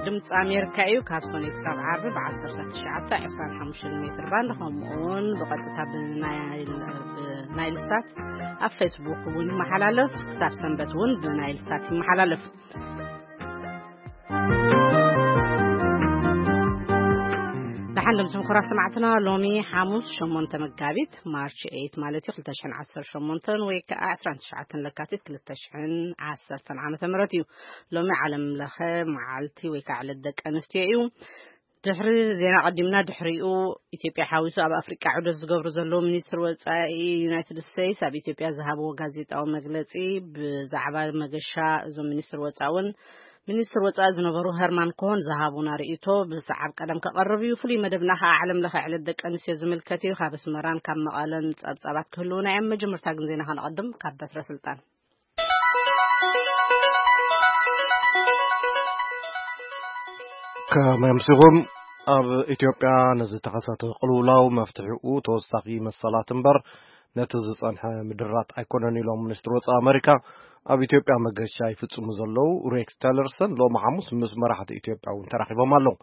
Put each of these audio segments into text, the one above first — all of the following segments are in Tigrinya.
ድምፂ ኣሜሪካ እዩ። ካብ ሶኒ ክሳብ ዓርቢ ብ1925 ሜትር ባንድ፣ ከምኡ እውን ብቐጥታ ብናይል ሳት ኣብ ፌስቡክ እውን ይመሓላለፍ። ክሳብ ሰንበት እውን ብናይል ሳት ይመሓላለፍ። ደሓን ድምፂ ምኩራ ሰማዕትና፣ ሎሚ ሓሙስ ሸሞንተ መጋቢት፣ ማርች ኤይት ማለት እዩ፣ ክልተ ሽሕን ዓሰርተ ሸሞንተን ወይ ከዓ ዕስራን ትሽዓተን ለካቲት ክልተ ሽሕን ዓሰርተን ዓመተ ምህረት እዩ። ሎሚ ዓለም ለኸ መዓልቲ ወይ ከዓ ዕለት ደቂ ኣንስትዮ እዩ። ድሕሪ ዜና ቀዲምና፣ ድሕሪኡ ኢትዮጵያ ሓዊሱ ኣብ ኣፍሪቃ ዑደት ዝገብሩ ዘለዉ ሚኒስትር ወጻኢ ዩናይትድ ስቴትስ ኣብ ኢትዮጵያ ዝሃብዎ ጋዜጣዊ መግለጺ፣ ብዛዕባ መገሻ እዞም ሚኒስትር ወጻኢ እውን ሚኒስትር ወጻኢ ዝነበሩ ሄርማን ኮሆን ዝሃቡና ርእይቶ ብሰዓብ ቀደም ከቐርብ እዩ። ፍሉይ መደብና ከዓ ዓለም ለኸ ዕለት ደቂ ኣንስትዮ ዝምልከት እዩ። ካብ ኣስመራን ካብ መቐለን ጸብጻባት ክህልውና እዮም። መጀመርታ ግን ዜና ከነቐድም ካብ በትረ ስልጣን። ከመምስኹም ኣብ ኢትዮጵያ ንዝተኸሰተ ቅልውላው መፍትሒኡ ተወሳኺ መሰላት እምበር ነቲ ዝጸንሐ ምድራት ኣይኮነን ኢሎም ሚኒስትር ወጻኢ ኣመሪካ ኣብ ኢትዮጵያ መገሻ ይፍጽሙ ዘለዉ ሬክስ ቴለርሰን ሎሚ ሓሙስ ምስ መራሕቲ ኢትዮጵያ እውን ተራኺቦም ኣለዉ።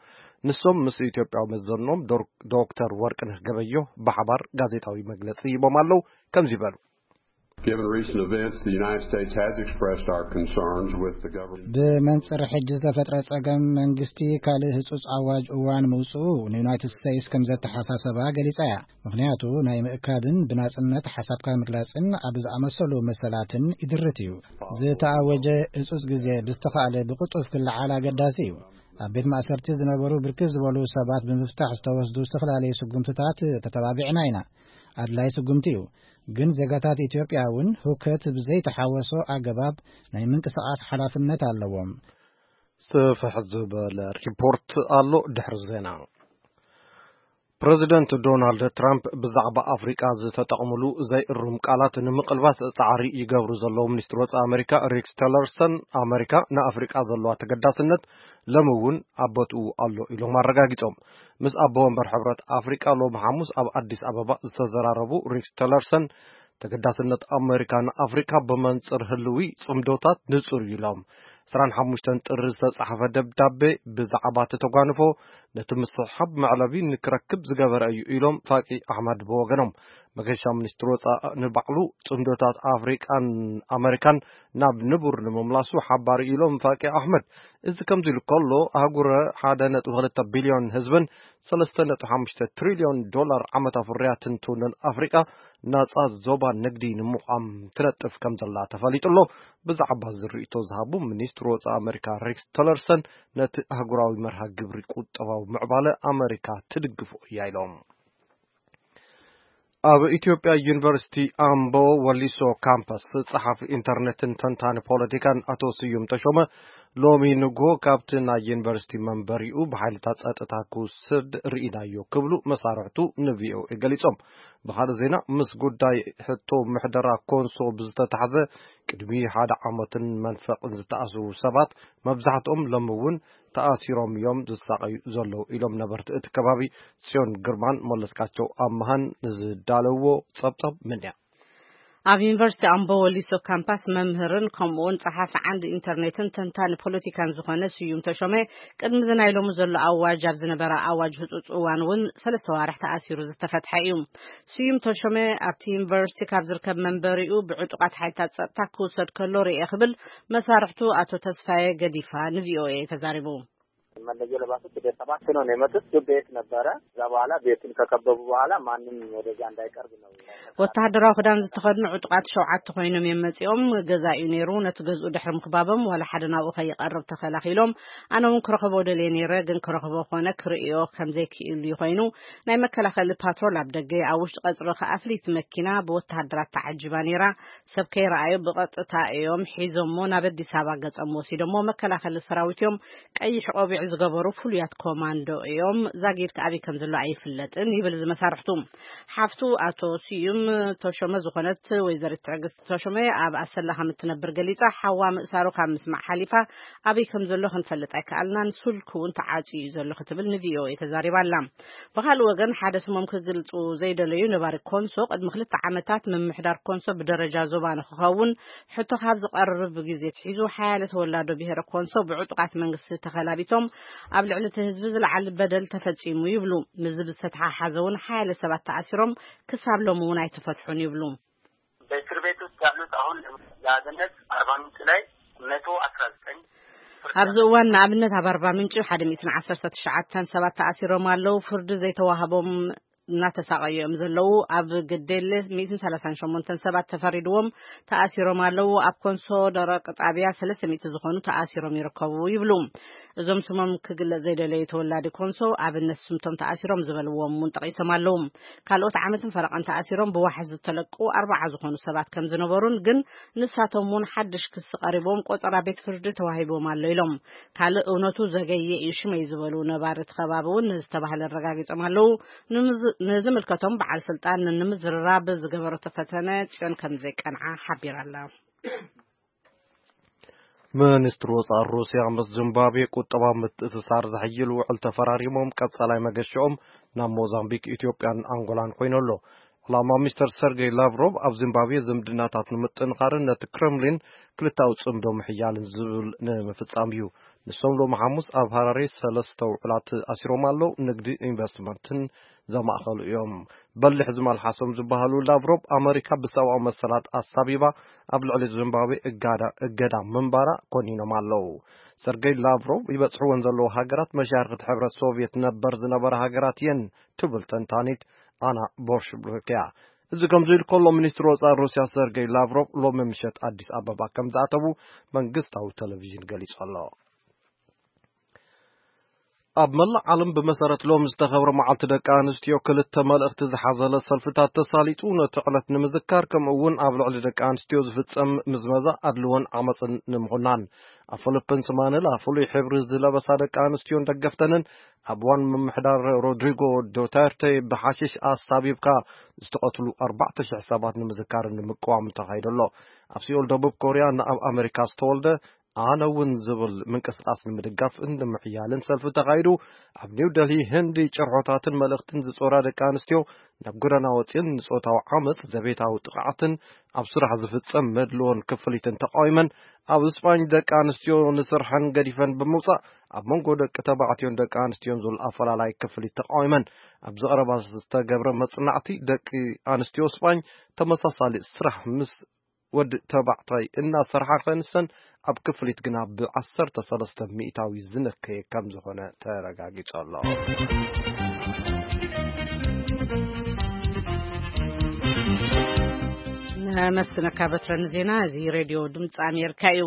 ንሶም ምስ ኢትዮጵያዊ መዘኖም ዶር-፣ ዶክተር ወርቅነህ ገበዮ ብሓባር ጋዜጣዊ መግለጺ ሂቦም ኣለዉ። ከምዚ ይበሉ። Given recent events, the United States has expressed our concerns with the government. ብመንጽር ሕጂ ዝተፈጥረ ጸገም መንግስቲ ካልእ ህጹጽ ኣዋጅ እዋን ምውጽኡ ንዩናይትድ ስቴትስ ከም ዘተሓሳሰባ ገሊጻ እያ። ምኽንያቱ ናይ ምእካብን ብናጽነት ሓሳብካ ምግላጽን ኣብ ዝኣመሰሉ መሰላትን ይድርት እዩ። ዝተኣወጀ ህጹጽ ግዜ ብዝተኻእለ ብቕልጡፍ ክለዓል ኣገዳሲ እዩ። ኣብ ቤት ማእሰርቲ ዝነበሩ ብርክት ዝበሉ ሰባት ብምፍታሕ ዝተወስዱ ዝተፈላለዩ ስጉምትታት ተተባቢዕና ኢና። ኣድላይ ስጉምቲ እዩ። ግን ዜጋታት ኢትዮጵያ እውን ሁከት ብዘይተሓወሶ ኣገባብ ናይ ምንቅስቓስ ሓላፍነት ኣለዎም። ስፍሕ ዝበለ ሪፖርት ኣሎ ድሕሪ ዜና። ፕረዚደንት ዶናልድ ትራምፕ ብዛዕባ ኣፍሪቃ ዝተጠቕምሉ ዘይእሩም ቃላት ንምቕልባስ ጻዕሪ ይገብሩ ዘለዉ ሚኒስትር ወጻኢ ኣመሪካ ሬክስ ቲለርሰን፣ ኣመሪካ ንኣፍሪቃ ዘለዋ ተገዳስነት ሎሚ እውን ኣብ ቦትኡ ኣሎ ኢሎም ኣረጋጊጾም። ምስ ኣቦ ወንበር ሕብረት ኣፍሪቃ ሎሚ ሓሙስ ኣብ ኣዲስ ኣበባ ዝተዘራረቡ ሬክስ ቲለርሰን፣ ተገዳስነት ኣመሪካ ንኣፍሪካ ብመንጽር ህልዊ ጽምዶታት ንጹር እዩ ኢሎም። ዕስራን ሓሙሽተን ጥሪ ዝተጻሕፈ ደብዳቤ ብዛዕባ እቲ ተጓንፎ ነቲ ምስሕሓብ መዕለቢ ንክረክብ ዝገበረ እዩ ኢሎም ፋቂ ኣሕመድ ብወገኖም። መገሻ ሚኒስትር ወጻኢ ንባዕሉ ጽምዶታት ኣፍሪቃን ኣመሪካን ናብ ንቡር ንምምላሱ ሓባሪ ኢሎም ፋቂ ኣሕመድ። እዚ ከምዚ ኢሉ ከሎ ኣህጉረ ሓደ ነጥቢ ክልተ ቢልዮን ህዝብን ሰለስተ ነጥቢ ሓሙሽተ ትሪልዮን ዶላር ዓመታዊ ፍርያትን ትውንን ኣፍሪቃ ናጻ ዞባ ንግዲ ንምቋም ትነጥፍ ከም ዘላ ተፈሊጡ ኣሎ። ብዛዕባ እዚ ርእይቶ ዝሃቡ ሚኒስትር ወጻኢ ኣመሪካ ሬክስ ቲለርሰን ነቲ ኣህጉራዊ መርሃ ግብሪ ቁጠባዊ ምዕባለ ኣመሪካ ትድግፎ እያ ኢሎም። ኣብ ኢትዮጵያ ዩኒቨርሲቲ ኣምቦ ወሊሶ ካምፓስ ጸሓፊ ኢንተርኔትን ተንታኒ ፖለቲካን ኣቶ ስዩም ተሾመ ሎሚ ንግሆ ካብቲ ናይ ዩኒቨርሲቲ መንበሪኡ ብሓይልታት ጸጥታ ክውሰድ ርኢናዮ ክብሉ መሳርሕቱ ንቪኦኤ ገሊጾም። ብኻልእ ዜና፣ ምስ ጉዳይ ሕቶ ምሕደራ ኮንሶ ብዝተታሕዘ ቅድሚ ሓደ ዓመትን መንፈቕን ዝተኣስሩ ሰባት መብዛሕትኦም ሎሚ እውን ተኣሲሮም እዮም ዝሳቐዩ ዘለዉ ኢሎም ነበርቲ እቲ ከባቢ። ጽዮን ግርማን መለስካቸው ኣመሃን ንዝዳለውዎ ጸብጸብ ምንያ። ኣብ ዩኒቨርሲቲ ኣምቦ ወሊሶ ካምፓስ መምህርን ከምኡውን ጸሓፊ ዓንዲ ኢንተርኔትን ተንታኒ ፖለቲካን ዝኾነ ስዩም ተሾመ ቅድሚ እዚ ናይ ሎሚ ዘሎ ኣዋጅ ኣብ ዝነበረ ኣዋጅ ህጹጽ እዋን እውን ሰለስተ ዋርሕ ተኣሲሩ ዝተፈትሐ እዩ። ስዩም ተሾመ ኣብቲ ዩኒቨርሲቲ ካብ ዝርከብ መንበሪኡ ብዕጡቓት ሓይልታት ጸጥታ ክውሰድ ከሎ ርእየ ክብል መሳርሕቱ ኣቶ ተስፋዬ ገዲፋ ንቪኦኤ ተዛሪቡ። መለዮ ለባሾች ወደ ሰባት ነው የመጡት። ቤት ነበረ። እዛ በኋላ ቤቱን ከከበቡ በኋላ ማንም ወደዚያ እንዳይቀርብ ነው። ወተሃደራዊ ክዳን ዝተኸድኑ ዕጡቓት ሸውዓተ ኮይኖም እዮም መጺኦም። ገዛ እዩ ነይሩ። ነቲ ገዝኡ ድሕሪ ምክባቦም ዋላ ሓደ ናብኡ ከይቐርብ ተኸላኺሎም። ኣነ እውን ክረኽቦ ደልየ ነይረ፣ ግን ክረኽቦ ኮነ ክርእዮ ከም ዘይክኢሉ ኮይኑ ናይ መከላኸሊ ፓትሮል ኣብ ደገ፣ ኣብ ውሽጢ ቀጽሪ ከኣ ፍልይቲ መኪና ብወተሃደራት ተዓጂባ ነይራ። ሰብ ከይረኣዩ ብቐጥታ እዮም ሒዞሞ ናብ ኣዲስ ኣበባ ገጾም ወሲዶሞ። መከላኸሊ ሰራዊት እዮም ቀይሕ ቆቢዕ ገበሩ ፍሉያት ኮማንዶ እዮም። ዛጊድ ከኣበይ ከም ዘሎ ኣይፍለጥን ይብል እዚ መሳርሕቱ። ሓፍቱ ኣቶ ስዩም ተሾመ ዝኾነት ወይዘሪት ትዕግስቲ ተሾመ ኣብ ኣሰላ ከም እትነብር ገሊጻ፣ ሓዋ ምእሳሩ ካብ ምስማዕ ሓሊፋ ኣበይ ከም ዘሎ ክንፈልጥ ኣይከኣልናን፣ ስልኩ እውን ተዓጽዩ እዩ ዘሎ ክትብል ንቪኦኤ ተዛሪባ ኣላ። ብኻልእ ወገን፣ ሓደ ስሞም ክግልጹ ዘይደለዩ ነባሪ ኮንሶ፣ ቅድሚ ክልተ ዓመታት ምምሕዳር ኮንሶ ብደረጃ ዞባ ንክኸውን ሕቶ ካብ ዝቐርብ ግዜ ኣትሒዙ፣ ሓያለ ተወላዶ ብሄረ ኮንሶ ብዕጡቓት መንግስቲ ተኸላቢቶም ኣብ ልዕሊ እቲ ህዝቢ ዝለዓል በደል ተፈጺሙ ይብሉ። ምስዚ ብዝተተሓሓዘ እውን ሓያለ ሰባት ተኣሲሮም ክሳብ ሎሚ እውን ኣይተፈትሑን ይብሉ። በእስር ቤት ውስጥ ያሉት አሁን ለአብነት አርባ ምንጭ ላይ መቶ አስራ ዘጠኝ። ኣብዚ እዋን ንኣብነት ኣብ ኣርባ ምንጭ ሓደ ሚእትን ዓሰርተ ትሽዓተን ሰባት ተኣሲሮም ኣለዉ። ፍርዲ ዘይተዋህቦም እናተሳቐዩ እዮም ዘለዉ። ኣብ ግዴለ ሚእትን ሰላሳን ሸሞንተን ሰባት ተፈሪድዎም ተኣሲሮም ኣለዉ። ኣብ ኮንሶ ደረቅ ጣብያ ሰለስተ ሚእቲ ዝኾኑ ተኣሲሮም ይርከቡ ይብሉ። እዞም ስሞም ክግለጽ ዘይደለዩ ተወላዲ ኮንሶ ኣብነት ስምቶም ተኣሲሮም ዝበልዎም እውን ጠቒሶም ኣለዉ። ካልኦት ዓመትን ፈረቐን ተኣሲሮም ብዋሕዚ ዝተለቁ ኣርባዓ ዝኾኑ ሰባት ከም ዝነበሩን፣ ግን ንሳቶም እውን ሓድሽ ክሲ ቀሪቦም ቆጸራ ቤት ፍርዲ ተዋሂቦም ኣሎ ኢሎም። ካልእ እውነቱ ዘገየ እዩ ሽመይ ዝበሉ ነባሪ እቲ ከባቢ እውን ንዝተባህለ ኣረጋጊጾም ኣለዉ። ንምዝ-፣ ንዝምልከቶም በዓል ስልጣን ንምዝርራብ ዝገበረቶ ፈተነ ጽዮን ከም ዘይቀንዓ ሓቢራ ኣላ። ሚኒስትሪ ወጻኢ ሩስያ ምስ ዚምባብዌ ቁጠባዊ ምትእስሳር ዘሐይል ውዕል ተፈራሪሞም፣ ቀጻላይ መገሽኦም ናብ ሞዛምቢክ፣ ኢትዮጵያን ኣንጎላን ኮይኑ ኣሎ። ዕላማ ሚስተር ሰርጌይ ላቭሮቭ ኣብ ዚምባብዌ ዝምድናታት ንምጥንኻርን ነቲ ክረምሊን ክልታዊ ጽምዶ ምሕያልን ዝብል ንምፍጻም እዩ። ንሶም ሎሚ ሓሙስ ኣብ ሃራሬ ሰለስተ ውዕላት ኣሲሮም ኣለዉ። ንግዲ፣ ኢንቨስትመንትን ዘማእኸሉ እዮም። በሊሕ ዝመልሓሶም ዝበሃሉ ላቭሮቭ፣ ኣመሪካ ብሰብኣዊ መሰላት ኣሳቢባ ኣብ ልዕሊ ዚምባብዌ እጋዳ-፣ እገዳ ምንባራ ኮኒኖም ኣለዉ። ሰርጌይ ላቭሮቭ ይበጽሕወን ዘለዉ ሃገራት መሻርኽቲ ሕብረት ሶቭየት ነበር ዝነበራ ሃገራት እየን ትብል ተንታኒት ኣና ቦሽብርክ እያ። እዚ ከምዚ ኢሉ ከሎ፣ ሚኒስትሪ ወጻኢ ሩስያ ሰርጌይ ላቭሮቭ ሎሚ ምሸት ኣዲስ ኣበባ ከም ዝኣተዉ መንግስታዊ ቴሌቪዥን ገሊጹ ኣሎ። ኣብ መላእ ዓለም ብመሰረት ሎም ዝተኸብረ መዓልቲ ደቂ ኣንስትዮ ክልተ መልእኽቲ ዝሓዘለ ሰልፍታት ተሳሊጡ፣ ነቲ ዕለት ንምዝካር፣ ከምኡ እውን ኣብ ልዕሊ ደቂ ኣንስትዮ ዝፍጸም ምዝመዛ፣ ኣድልዎን ዓመፅን ንምኹናን። ኣብ ፊሊፒንስ ማኒላ ፍሉይ ሕብሪ ዝለበሳ ደቂ ኣንስትዮን ደገፍተንን ኣብ እዋን ምምሕዳር ሮድሪጎ ዱተርቴ ብሓሽሽ ኣሳቢብካ ዝተቐትሉ ኣርባዕተ ሽሕ ሰባት ንምዝካርን ንምቅዋምን ተኻይዱ ኣሎ። ኣብ ሲኦል ደቡብ ኮርያ ንኣብ ኣሜሪካ ዝተወልደ ኣነ እውን ዝብል ምንቅስቃስ ንምድጋፍን ንምሕያልን ሰልፊ ተኻይዱ። ኣብ ኒው ደልሂ ህንዲ ጭርሖታትን መልእኽትን ዝጾራ ደቂ ኣንስትዮ ናብ ጎደና ወጺኤን ንጾታዊ ዓመጽ፣ ዘቤታዊ ጥቕዓትን ኣብ ስራሕ ዝፍጸም መድልዎን ክፍሊትን ተቃዊመን። ኣብ ስጳኝ ደቂ ኣንስትዮ ንስርሐን ገዲፈን ብምውጻእ ኣብ መንጎ ደቂ ተባዕትዮን ደቂ ኣንስትዮን ዝብል ኣፈላላይ ክፍሊት ተቃዊመን። ኣብዚ ቀረባ ዝተገብረ መጽናዕቲ ደቂ ኣንስትዮ ስጳኝ ተመሳሳሊ ስራሕ ምስ ወዲ ተባዕታይ እናሰርሓ ከንሰን ኣብ ክፍሊት ግና ብዓሰርተ ሰለስተ ሚእታዊ ዝነከየ ከም ዝኾነ ተረጋጊጹ ኣሎ። ነመስግነካ በትረ ንዜና። እዚ ሬድዮ ድምፂ ኣሜሪካ እዩ።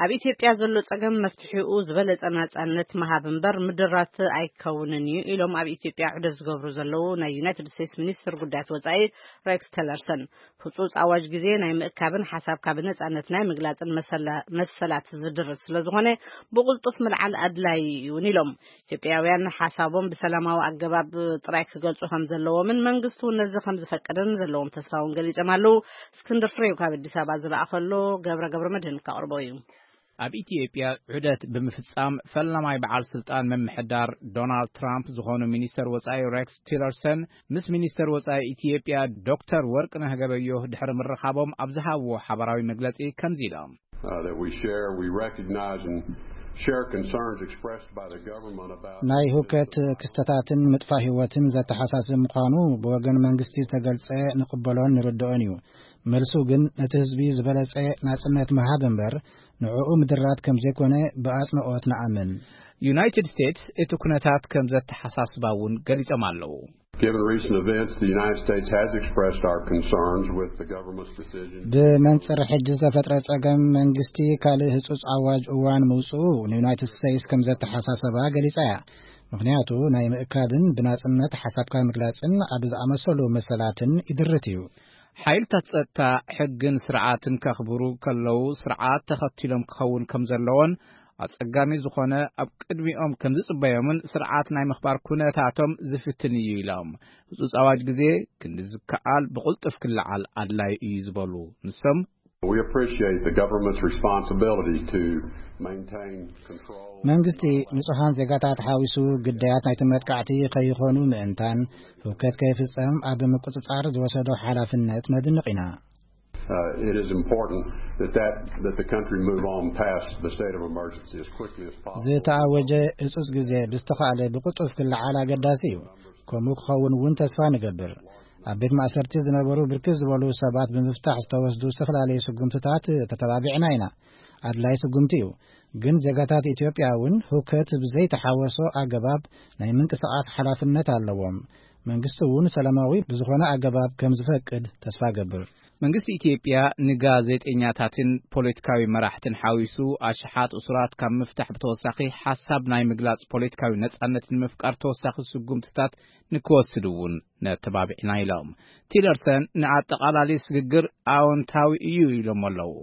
ኣብ ኢትዮጵያ ዘሎ ጸገም መፍትሒኡ ዝበለጸ ናጻነት ምሃብ እምበር ምድራት ኣይከውንን እዩ ኢሎም ኣብ ኢትዮጵያ ዑደት ዝገብሩ ዘለዉ ናይ ዩናይትድ ስቴትስ ሚኒስትር ጉዳያት ወጻኢ ሬክስ ቲለርሰን። ህጹጽ ኣዋጅ ግዜ ናይ ምእካብን ሓሳብካ ብነጻነት ናይ ምግላጽን መሰላ-፣ መሰላት ዝድርት ስለ ዝኾነ ብቕልጡፍ ምልዓል ኣድላዪ እዩ እውን ኢሎም። ኢትዮጵያውያን ሓሳቦም ብሰላማዊ ኣገባብ ጥራይ ክገልጹ ከም ዘለዎምን መንግስቲ እውን ነዚ ከም ዝፈቅድን ዘለዎም ተስፋ እውን ገሊጾም ኣለዉ። እስክንድር ፍሬው ካብ ኣዲስ ኣበባ ዝለኣኸሎ ገብረ ገብረ መድህን ከቕርቦ እዩ። ኣብ ኢትዮጵያ ዑደት ብምፍጻም ፈላማይ በዓል ስልጣን ምምሕዳር ዶናልድ ትራምፕ ዝኾኑ ሚኒስተር ወጻኢ ሬክስ ቲለርሰን ምስ ሚኒስተር ወጻኢ ኢትዮጵያ ዶክተር ወርቅነህ ገበዮህ ድሕሪ ምርኻቦም ኣብ ዝሃብዎ ሓባራዊ መግለጺ ከምዚ ኢሎም። Uh, that we share, we recognize and share concerns expressed by the government about ናይ ሁከት ክስተታትን ምጥፋእ ህይወትን ዘተሓሳስብ ምዃኑ ብወገን መንግስቲ ዝተገልጸ ንቕበሎን ንርድኦን እዩ። መልሱ ግን ነቲ ህዝቢ ዝበለጸ ናጽነት ምሃብ እምበር ንዕኡ ምድራት ከም ዘይኮነ ብኣጽንኦት ንኣምን። ዩናይትድ ስቴትስ እቲ ኩነታት ከም ዘተሓሳስባ እውን ገሊጾም ኣለዉ። Given recent events, the United States has expressed our concerns with the government's decision. ብመንጽር ሕጂ ዝተፈጥረ ጸገም መንግስቲ ካልእ ህጹጽ ኣዋጅ እዋን ምውጽኡ ንዩናይትድ ስቴትስ ከም ዘተሓሳሰባ ገሊጻ እያ። ምኽንያቱ ናይ ምእካብን ብናጽነት ሓሳብካ ምግላጽን ኣብ ዝኣመሰሉ መሰላትን ይድርት እዩ። ሓይልታት ጸጥታ ሕግን ስርዓትን ከኽብሩ ከለዉ ስርዓት ተኸቲሎም ክኸውን ከም ዘለዎን ኣጸጋሚ ዝኾነ ኣብ ቅድሚኦም ከም ዝጽበዮምን ስርዓት ናይ ምኽባር ኩነታቶም ዝፍትን እዩ ኢሎም። ህጹጽ ኣዋጅ ግዜ ክንዲ ዝከኣል ብቕልጡፍ ክለዓል ኣድላይ እዩ ዝበሉ ንሶም፣ We appreciate the government's responsibility to maintain control. መንግስቲ ንጹሓን ዜጋታት ሓዊሱ ግዳያት ናይቲ መጥቃዕቲ ከይኾኑ ምእንታን ህውከት ከይፍጸም ኣብ ምቁጽጻር ዝወሰዶ ሓላፍነት ነድንቕ ኢና። Uh, it is important that, that, that the country move on past the state of emergency as quickly as possible. ዝተኣወጀ እጹጽ ግዜ ብዝተኻእለ ብቕጡፍ ክለዓል ኣገዳሲ እዩ። ከምኡ ክኸውን እውን ተስፋ ንገብር። ኣብ ቤት ማእሰርቲ ዝነበሩ ብርክት ዝበሉ ሰባት ብምፍታሕ ዝተወስዱ ዝተፈላለዩ ስጉምትታት ተተባቢዕና ኢና። ኣድላይ ስጉምቲ እዩ። ግን ዜጋታት ኢትዮጵያ እውን ህውከት ብዘይተሓወሶ ኣገባብ ናይ ምንቅስቓስ ሓላፍነት ኣለዎም። መንግስቲ እውን ሰላማዊ ብዝኾነ ኣገባብ ከም ዝፈቅድ ተስፋ ገብር። መንግስቲ ኢትዮጵያ ንጋዜጠኛታትን ፖለቲካዊ መራሕትን ሓዊሱ ኣሽሓት እሱራት ካብ ምፍታሕ ብተወሳኺ ሓሳብ ናይ ምግላጽ ፖለቲካዊ ነጻነት ንምፍቃር ተወሳኺ ስጉምትታት ንክወስድ እውን ነተባቢዕና ኢሎም። ቲለርሰን ንኣጠቓላሊ ስግግር ኣዎንታዊ እዩ ኢሎም ኣለዉ።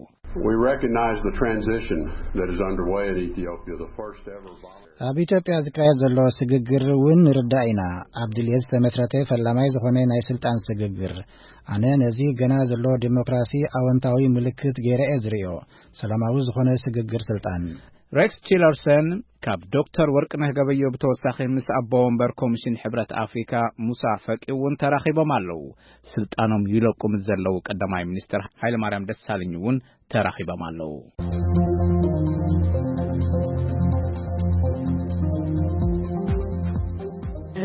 We recognize the transition that is underway in Ethiopia, the first ever voluntary ኣብ ኢትዮጵያ ዝካየድ ዘሎ ስግግር እውን ንርዳእ ኢና። ኣብ ድልየት ዝተመስረተ ፈላማይ ዝኾነ ናይ ስልጣን ስግግር። ኣነ ነዚ ገና ዘሎ ዲሞክራሲ ኣወንታዊ ምልክት ገይረ እየ ዝርእዮ። ሰላማዊ ዝኾነ ስግግር ስልጣን። ሬክስ ቲለርሰን ካብ ዶክተር ወርቅነህ ገበዮ ብተወሳኺ ምስ ኣቦ ወንበር ኮሚሽን ሕብረት ኣፍሪካ ሙሳ ፈቂ እውን ተራኺቦም ኣለዉ። ስልጣኖም ይለቁ ምስ ዘለዉ ቀዳማይ ሚኒስትር ሃይለማርያም ደሳለኝ እውን ተራኺቦም ኣለዉ።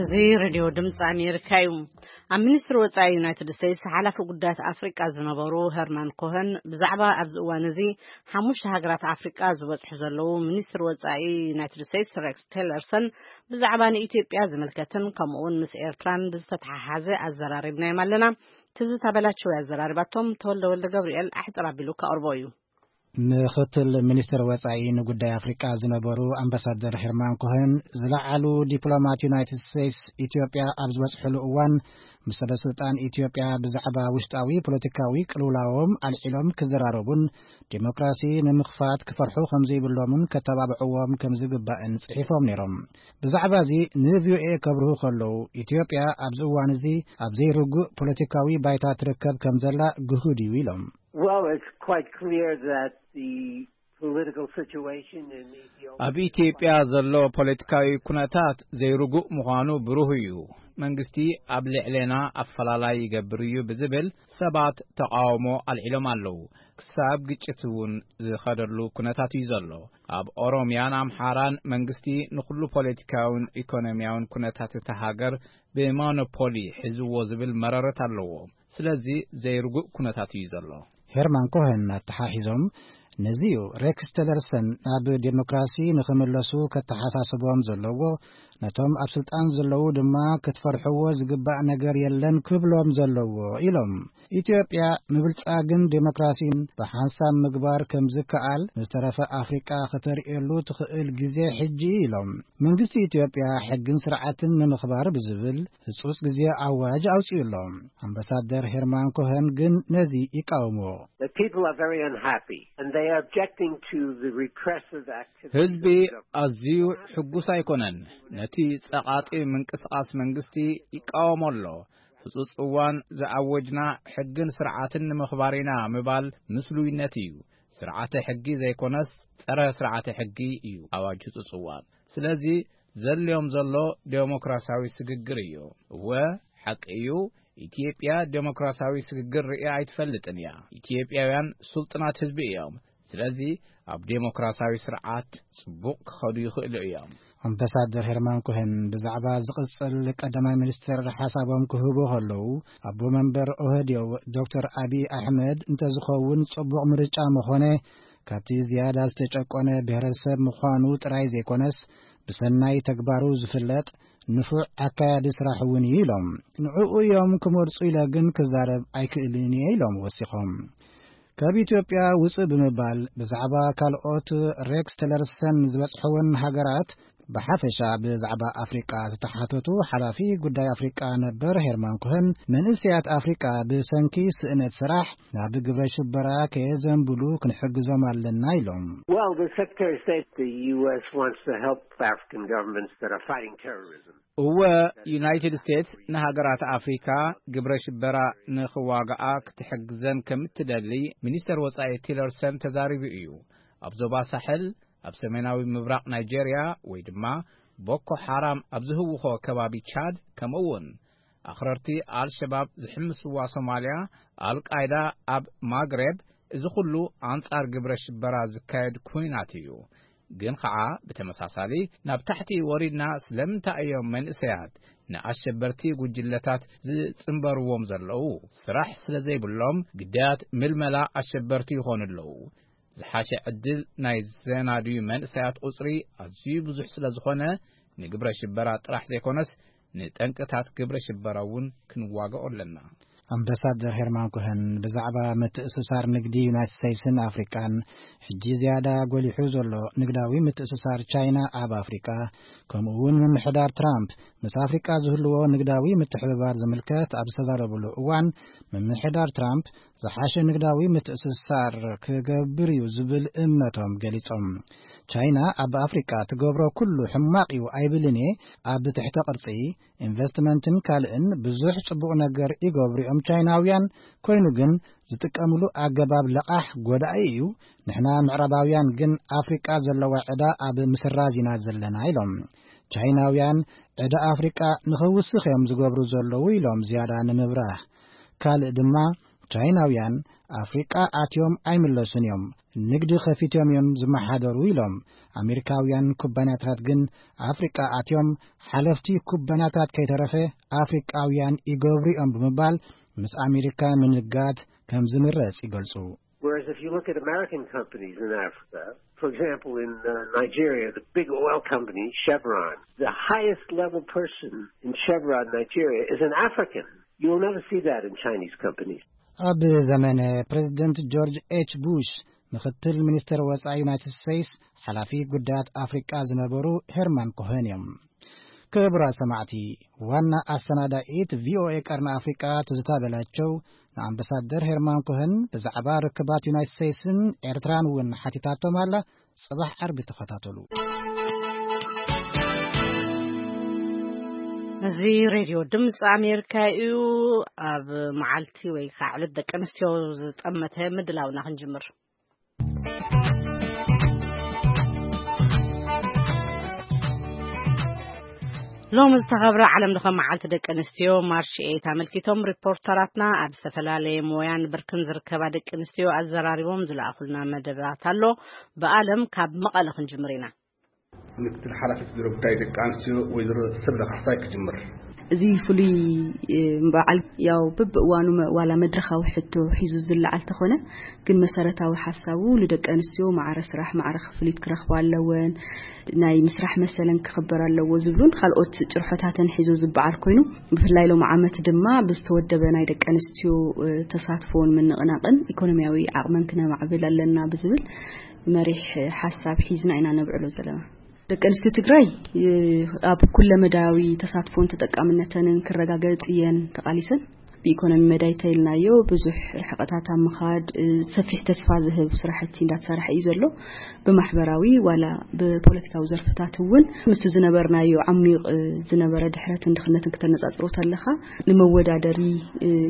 እዚ ሬድዮ ድምፂ ኣሜሪካ እዩ። ኣብ ሚኒስትሪ ወፃኢ ዩናይትድ ስቴትስ ሓላፊ ጉዳያት ኣፍሪቃ ዝነበሩ ሄርማን ኮኸን ብዛዕባ ኣብዚ እዋን እዚ ሓሙሽተ ሃገራት ኣፍሪቃ ዝበፅሑ ዘለዉ ሚኒስትሪ ወፃኢ ዩናይትድ ስቴትስ ሬክስ ቴለርሰን ብዛዕባ ንኢትዮጵያ ዝምልከትን ከምኡውን ምስ ኤርትራን ብዝተተሓሓዘ ኣዘራሪብናዮም ኣለና። ትዝታ በላቸው ያዘራሪባቶም ተወልደ ወልደ ገብርኤል ኣሕፅር ኣቢሉ ከቕርቦ እዩ። ምኽትል ሚኒስትር ወፃኢ ንጉዳይ ኣፍሪቃ ዝነበሩ ኣምባሳደር ሄርማን ኮኸን ዝለዓሉ ዲፕሎማት ዩናይትድ ስቴትስ ኢትዮጵያ ኣብ ዝበፅሕሉ እዋን ምስ ሰበስልጣን ኢትዮጵያ ብዛዕባ ውሽጣዊ ፖለቲካዊ ቅልውላዎም ኣልዒሎም ክዘራረቡን ዲሞክራሲ ንምኽፋት ክፈርሑ ከምዘይብሎምን ከተባብዕዎም ከምዝግባእን ጽሒፎም ነይሮም። ብዛዕባ እዚ ንቪኦኤ ከብርሁ ከለዉ ኢትዮጵያ ኣብዚ እዋን እዚ ኣብ ዘይርጉእ ፖለቲካዊ ባይታ ትርከብ ከም ዘላ ግሁድ እዩ ኢሎም። Well, it's quite clear that the political situation in Ethiopia ኣብ ኢትዮጵያ ዘሎ ፖለቲካዊ ኩነታት ዘይርጉእ ምዃኑ ብሩህ እዩ። መንግስቲ ኣብ ልዕሌና ኣፈላላይ ይገብር እዩ ብዝብል ሰባት ተቓውሞ ኣልዒሎም ኣለዉ። ክሳብ ግጭት እውን ዝኸደሉ ኩነታት እዩ ዘሎ። ኣብ ኦሮምያን ኣምሓራን መንግስቲ ንኹሉ ፖለቲካውን ኢኮኖሚያውን ኩነታት እታ ሃገር ብሞኖፖሊ ሒዝዎ ዝብል መረረት ኣለዎ። ስለዚ ዘይርጉእ ኩነታት እዩ ዘሎ። ሄርማን ኮኸን ኣተሓሒዞም ነዚ እዩ ሬክስ ቴለርሰን ናብ ዴሞክራሲ ንኽምለሱ ከተሓሳስቦም ዘለዎ፣ ነቶም ኣብ ስልጣን ዘለዉ ድማ ክትፈርሕዎ ዝግባእ ነገር የለን ክብሎም ዘለዎ ኢሎም። ኢትዮጵያ ምብልጻግን ዴሞክራሲን ብሓንሳብ ምግባር ከም ዝከኣል ንዝተረፈ ኣፍሪቃ ከተርእየሉ ትኽእል ግዜ ሕጂ ኢሎም። መንግስቲ ኢትዮጵያ ሕግን ስርዓትን ንምኽባር ብዝብል ህጹጽ ግዜ ኣዋጅ ኣውጺኡ ኣሎ። ኣምባሳደር ሄርማን ኮኸን ግን ነዚ ይቃወምዎ። The people are very unhappy and they are objecting to the repressive activities ህዝቢ of the government. ኣዝዩ ሕጉስ ኣይኮነን። ነቲ ጸቓጢ ምንቅስቓስ መንግስቲ ይቃወሞ ኣሎ። ህጹጽ እዋን ዝኣወጅና ሕግን ስርዓትን ንምኽባር ኢና ምባል ምስሉይነት እዩ። ስርዓተ ሕጊ ዘይኮነስ ጸረ ስርዓተ ሕጊ እዩ ኣዋጅ ህጹጽ እዋን። ስለዚ ዘልዮም ዘሎ ዴሞክራሲያዊ ስግግር እዩ። እወ፣ ሓቂ እዩ። ኢትዮጵያ ዴሞክራሲያዊ ስግግር ርእያ ኣይትፈልጥን እያ። ኢትዮጵያውያን ስልጡናት ህዝቢ እዮም። ስለዚ ኣብ ዴሞክራሲያዊ ስርዓት ጽቡቕ ክኸዱ ይኽእሉ እዮም። ኣምባሳደር ሄርማን ኮሄን ብዛዕባ ዝቕጽል ቀዳማይ ሚኒስትር ሓሳቦም ክህቡ ከለዉ፣ ኣቦ መንበር ኦህዴው ዶክተር ኣቢይ ኣሕመድ እንተዝኸውን ጽቡቕ ምርጫ ምኾነ፣ ካብቲ ዝያዳ ዝተጨቆነ ብሄረሰብ ምዃኑ ጥራይ ዘይኮነስ፣ ብሰናይ ተግባሩ ዝፍለጥ ንፉዕ ኣካያዲ ስራሕ እውን እዩ ኢሎም። ንዕኡ እዮም ክመርጹ ኢለ ግን ክዛረብ ኣይክእልን እየ ኢሎም ወሲኾም። ካብ ኢትዮጵያ ውጽእ ብምባል ብዛዕባ ካልኦት ሬክስ ቴለርሰን ዝበጽሐወን ሃገራት ብሓፈሻ ብዛዕባ ኣፍሪቃ ዝተሓተቱ ሓላፊ ጉዳይ ኣፍሪቃ ነበር ሄርማን ኮሀን፣ መንእሰያት ኣፍሪቃ ብሰንኪ ስእነት ስራሕ ናብ ግብረ ሽበራ ከየዘንብሉ ክንሕግዞም ኣለና ኢሎም። Well, the Secretary of State, the U S wants to help African governments that are fighting terrorism. እወ፣ ዩናይትድ ስቴትስ ንሃገራት ኣፍሪካ ግብረ ሽበራ ንኽዋግኣ ክትሕግዘን ከም እትደሊ ሚኒስተር ወጻኢ ቲለርሰን ተዛሪቡ እዩ። ኣብ ዞባ ሳሕል፣ ኣብ ሰሜናዊ ምብራቕ ናይጄርያ፣ ወይ ድማ ቦኮ ሓራም ኣብ ዝህውኾ ከባቢ ቻድ፣ ከምኡ እውን ኣኽረርቲ ኣልሸባብ ዝሕምስዋ ሶማልያ፣ ኣልቃይዳ ኣብ ማግሬብ፣ እዚ ኩሉ ኣንጻር ግብረ ሽበራ ዝካየድ ኩናት እዩ። ግን ኸዓ ብተመሳሳሊ ናብ ታሕቲ ወሪድና ስለምንታይ እዮም መንእሰያት ንኣሸበርቲ ጉጅለታት ዝጽንበርዎም ዘለዉ? ስራሕ ስለ ዘይብሎም ግዳያት ምልመላ ኣሸበርቲ ይኾኑ ኣለዉ። ዝሓሸ ዕድል ናይ ዘናድዩ መንእሰያት ቁጽሪ ኣዝዩ ብዙሕ ስለ ዝኾነ፣ ንግብረ ሽበራ ጥራሕ ዘይኮነስ ንጠንቅታት ግብረ ሽበራ እውን ክንዋግኦ ኣለና። ኣምባሳደር ሄርማን ኮሀን ብዛዕባ ምትእስሳር ንግዲ ዩናይትድ ስቴትስን ኣፍሪቃን፣ ሕጂ ዝያዳ ጎሊሑ ዘሎ ንግዳዊ ምትእስሳር ቻይና ኣብ ኣፍሪቃ፣ ከምኡ እውን ምምሕዳር ትራምፕ ምስ ኣፍሪቃ ዝህልዎ ንግዳዊ ምትሕብባር ዝምልከት ኣብ ዝተዛረብሉ እዋን፣ ምምሕዳር ትራምፕ ዝሓሸ ንግዳዊ ምትእስሳር ክገብር እዩ ዝብል እምነቶም ገሊጾም። ቻይና ኣብ ኣፍሪቃ ትገብሮ ኩሉ ሕማቕ እዩ ኣይብልን እየ። ኣብ ትሕተ ቅርጺ፣ ኢንቨስትመንትን ካልእን ብዙሕ ጽቡቕ ነገር ይገብሩ እዮም ቻይናውያን። ኮይኑ ግን ዝጥቀምሉ ኣገባብ ለቓሕ ጎዳኢ እዩ። ንሕና ምዕራባውያን ግን ኣፍሪቃ ዘለዋ ዕዳ ኣብ ምስራዝ ኢና ዘለና ኢሎም። ቻይናውያን ዕዳ ኣፍሪቃ ንኽውስኽ እዮም ዝገብሩ ዘለዉ ኢሎም ዝያዳ ንምብራህ። ካልእ ድማ ቻይናውያን ኣፍሪቃ ኣትዮም ኣይምለሱን እዮም፣ ንግዲ ከፊቶም እዮም ዝመሓደሩ ኢሎም። ኣሜሪካውያን ኩባንያታት ግን ኣፍሪቃ ኣትዮም ሓለፍቲ ኩባንያታት ከይተረፈ ኣፍሪቃውያን ይገብሩ እዮም ብምባል ምስ ኣሜሪካ ምንጋድ ከም ዝምረጽ ይገልጹ። Whereas if you look at American companies in Africa, for example, in uh, Nigeria, the big oil company, Chevron, the highest level person in Chevron, Nigeria, is an African. You will never see that in Chinese companies. ኣብ ዘመነ ፕሬዚደንት ጆርጅ ኤች ቡሽ፣ ምክትል ሚኒስትር ወጻኢ ዩናይትድ ስቴትስ፣ ሓላፊ ጉዳያት ኣፍሪቃ ዝነበሩ ሄርማን ኮሄን እዮም። ክቡራት ሰማዕቲ፣ ዋና ኣሰናዳኢት ቪኦኤ ቀርኒ ኣፍሪቃ ትዝታ በላቸው ንኣምባሳደር ሄርማን ኮሄን ብዛዕባ ርክባት ዩናይትድ ስቴትስን ኤርትራን እውን ሓቲታቶም ኣላ። ጽባሕ ዓርቢ ተኸታተሉ። እዚ ሬድዮ ድምፂ ኣሜሪካ እዩ። ኣብ መዓልቲ ወይ ከዓ ዕለት ደቂ ኣንስትዮ ዝጠመተ ምድላውና ክንጅምር። ሎም ዝተኸብረ ዓለም ለኸ መዓልቲ ደቂ ኣንስትዮ ማርች ኤይት ኣመልኪቶም ሪፖርተራትና ኣብ ዝተፈላለየ ሞያን ብርክን ዝርከባ ደቂ ኣንስትዮ ኣዘራሪቦም ዝለኣኹልና መደባት ኣሎ። ብኣለም ካብ መቐለ ክንጅምር ኢና። ምክትል ሓላፊት ቢሮ ጉዳይ ደቂ ኣንስትዮ ወይዘሮ ሰብለ ካሕሳይ ክጅምር። እዚ ፍሉይ በዓል ያው በብእዋኑ ዋላ መድረኻዊ ሕቶ ሒዙ ዝለዓል ተኾነ፣ ግን መሰረታዊ ሓሳቡ ንደቂ ኣንስትዮ ማዕረ ስራሕ ማዕረ ክፍሊት ክረኽባ ኣለወን፣ ናይ ምስራሕ መሰለን ክኽበር ኣለዎ ዝብሉን ካልኦት ጭርሖታትን ሒዙ ዝበዓል ኮይኑ፣ ብፍላይ ሎም ዓመት ድማ ብዝተወደበ ናይ ደቂ ኣንስትዮ ተሳትፎን ምንቕናቕን ኢኮኖሚያዊ ዓቕመን ክነማዕብል ኣለና ብዝብል መሪሕ ሓሳብ ሒዝና ኢና ነብዕሎ ዘለና። ደቂ ኣንስትዮ ትግራይ ኣብ ኩለመዳያዊ ተሳትፎን ተጠቃምነተንን ክረጋገጽ እየን ተቓሊሰን። ብኢኮኖሚ መዳይ ተይልናዮ ብዙሕ ርሕቐታት ኣብ ምኻድ ሰፊሕ ተስፋ ዝህብ ስራሕቲ እንዳተሰርሐ እዩ ዘሎ። ብማሕበራዊ ዋላ ብፖለቲካዊ ዘርፍታት እውን ምስ ዝነበርናዮ ዓሚቕ ዝነበረ ድሕረትን ድኽነትን ክተነጻጽሮ ተለኻ ንመወዳደሪ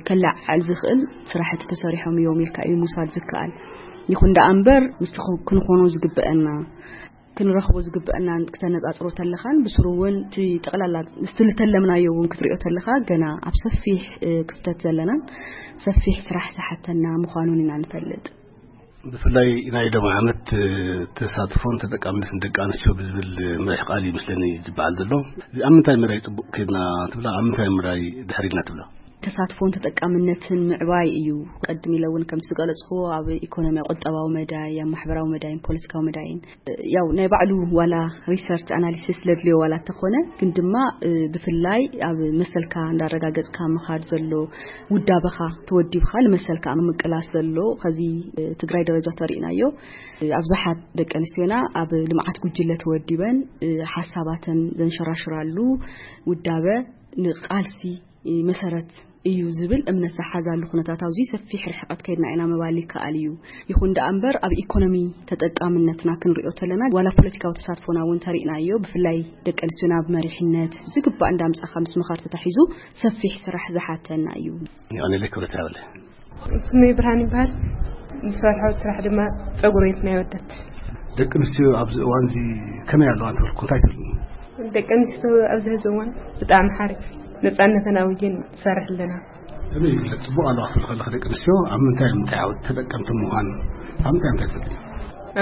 ከለዓዕል ዝኽእል ስራሕቲ ተሰሪሖም እዮም ኢልካ እዩ ምውሳድ ዝከኣል። ይኹን ደኣ እምበር ምስቲ ክንኾኖ ዝግበአና ክንረኽቦ ዝግበአና ክተነጻጽሮ ተለኻን ብስሩ እውን እቲ ጠቕላላ ምስቲ ዝተለምናዮ እውን ክትሪኦ ተለኻ ገና ኣብ ሰፊሕ ክፍተት ዘለናን ሰፊሕ ስራሕ ዝሓተና ምዃኑን ኢና ንፈልጥ። ብፍላይ ናይ ሎም ዓመት ተሳትፎን ተጠቃምነትን ደቂ ኣንስትዮ ብዝብል መሪሕ ቃል እዩ ምስለኒ ዝበዓል ዘሎ። እዚ ኣብ ምንታይ መዳይ ጽቡቕ ከይድና ትብላ፣ ኣብ ምንታይ መዳይ ድሕሪልና ትብላ? ተሳትፎን ተጠቃምነትን ምዕባይ እዩ። ቅድም ኢለ እውን ከምቲ ዝገለጽክዎ ኣብ ኢኮኖሚያዊ፣ ቁጠባዊ መዳይ፣ ኣብ ማሕበራዊ መዳይን ፖለቲካዊ መዳይን፣ ያው ናይ ባዕሉ ዋላ ሪሰርች ኣናሊሲስ ለድልዮ ዋላ እንተኾነ፣ ግን ድማ፣ እ፣ ብፍላይ ኣብ መሰልካ እንዳረጋገጽካ ምኻድ ዘሎ፣ ውዳበኻ ተወዲብካ ንመሰልካ ኣብ ምቅላስ ዘሎ፣ ከዚ፣ እ፣ ትግራይ ደረጃ ተሪእናዮ። እ፣ ኣብዛሓት ደቂ ኣንስትዮና ኣብ ልምዓት ጉጅለ ተወዲበን፣ እ፣ ሓሳባተን ዘንሸራሽራሉ ውዳበ ንቃልሲ፣ እ፣ መሰረት እዩ ዝብል እምነት ዝሓዛሉ ኩነታት፣ ኣብዚ ሰፊሕ ርሕቀት ከይድና ኢና ምባል ይከኣል እዩ። ይኹን ደኣ እምበር፣ ኣብ ኢኮኖሚ ተጠቃምነትና ክንሪኦ ተለና፣ ዋላ ፖለቲካዊ ተሳትፎና እውን ተሪእናዮ። ብፍላይ ደቂ ኣንስትዮና ኣብ መሪሕነት ዝግባእ እንዳምጻኻ ምስ ምኻድ ተታሒዙ ሰፊሕ ስራሕ ዝሓተና እዩ። የቐንየለይ ክብረት ይሃበለይ። ስመይ ብርሃን ይበሃል። ዝሰርሖ ስራሕ ድማ ጸጉሪ ቤት ናይ ኣወዳት። ደቂ ኣንስትዮ ኣብዚ እዋን እዚ ከመይ ኣለዋ እንተበልኩ እንታይ ትብልኒ? ደቂ ኣንስትዮ ኣብዚ ሕዚ እዋን ብጣዕሚ ሓሪፍ ነጻነተን ኣውጀን ትሰርሕ ኣለና። ከመይ ይግለጽ? ጽቡቕ ኣለዋ ክትብል ከለኺ ደቂ ኣንስትዮ ኣብ ምንታይ ምንታይ ዓውዲ ተጠቀምቲ ምዃን፣ ኣብ ምንታይ ምንታይ ትፈልጢ?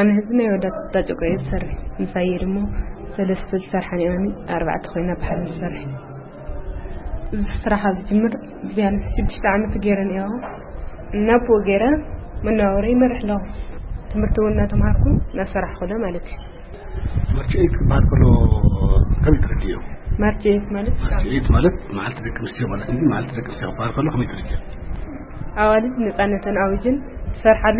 ኣነ ሕዚ ናይ ኣወዳት ዳጨቆ እየ ዝሰርሕ። ምሳየ ድማ ሰለስተ ዝሰርሓ ነይረኒ፣ ኣርባዕተ ኮይና ብሓደ ንሰርሕ። እዚ ስራሕ ኣብ ዝጅምር ቢያንስ ሽዱሽተ ዓመት ገይረ ነይረ። እናብኡ ገይረ መነባበሪ ይመርሕ ኣለኹ። ትምህርቲ እውን እናተምሃርኩ እናሰራሕኩ ለ ማለት እዩ። ማርች ኤይት ክበሃል ከሎ ከመይ ትረድእዮ? ማርች ኤይት ማለት? ማርች ኤይት ማለት መዓልቲ ደቂ ኣንስትዮ ማለት እንጂ፣ መዓልቲ ደቂ ኣንስትዮ ክበሃል ከሎ ከመይ ትረድእዮ? ኣዋልድ ነፃነተን ኣውጅን ዝሰርሓሉ፣